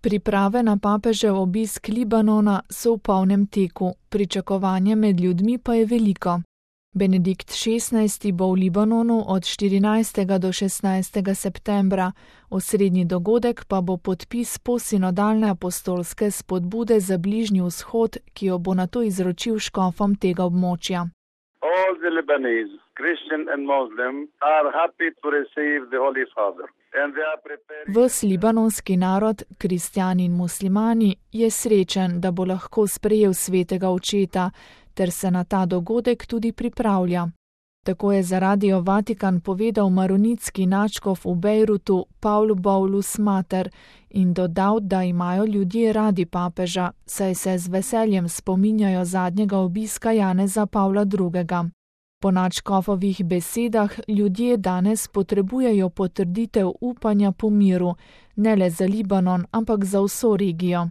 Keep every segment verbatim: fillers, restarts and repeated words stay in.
Priprave na papežev obisk Libanona so v polnem teku, pričakovanje med ljudmi pa je veliko. Benedikt šestnajsti bo v Libanonu od štirinajstega do šestnajstega septembra, osrednji dogodek pa bo podpis posinodalne apostolske spodbude za Bližnji vzhod, ki jo bo nato izročil škofom tega območja. All the Lebanese, Christian and Muslim, are happy to receive the Holy Father. Ves libanonski narod, kristjani in muslimani, je srečen, da bo lahko sprejel svetega očeta, ter se na ta dogodek tudi pripravlja. Tako je za Radio Vatikan povedal maronitski nadškof v Bejrutu Paul Boulos Mater in dodal, da imajo ljudje radi papeža, saj se z veseljem spominjajo zadnjega obiska Janeza Pavla drugega. Po nadškofovih besedah ljudje danes potrebujejo potrditev upanja po miru, ne le za Libanon, ampak za vso regijo.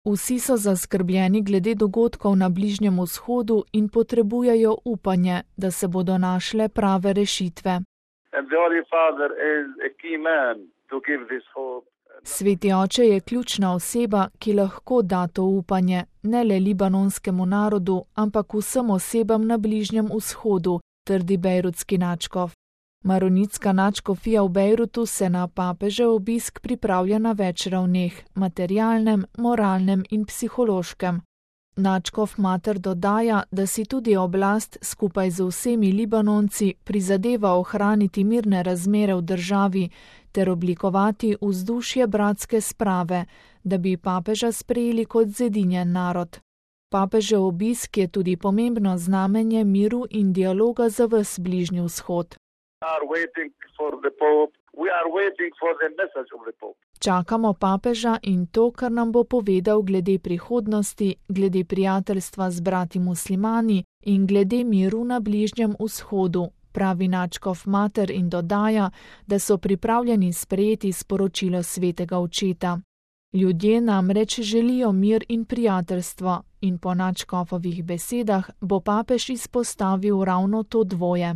Vsi so zaskrbljeni glede dogodkov na Bližnjem vzhodu in potrebujejo upanje, da se bodo našle prave rešitve. Sveti oče je ključna oseba, ki lahko da to upanje, ne le libanonskemu narodu, ampak vsem osebam na Bližnjem vzhodu, trdi bejrutski nadškof. Maronitska nadškofija v Bejrutu se na papežev obisk pripravlja na več ravneh, materialnem, moralnem in psihološkem. Nadškof Mater dodaja, da si tudi oblast skupaj z vsemi Libanonci prizadeva ohraniti mirne razmere v državi ter oblikovati vzdušje bratske sprave, da bi papeža sprejeli kot zedinjen narod. Papežev obisk je tudi pomembno znamenje miru in dialoga za ves Bližnji vzhod. Čakamo papeža in to, kar nam bo povedal glede prihodnosti, glede prijateljstva z brati muslimani in glede miru na Bližnjem vzhodu, pravi nadškof Mater in dodaja, da so pripravljeni sprejeti sporočilo svetega očeta. Ljudje namreč želijo mir in prijateljstvo in po nadškofovih besedah bo papež izpostavil ravno to dvoje.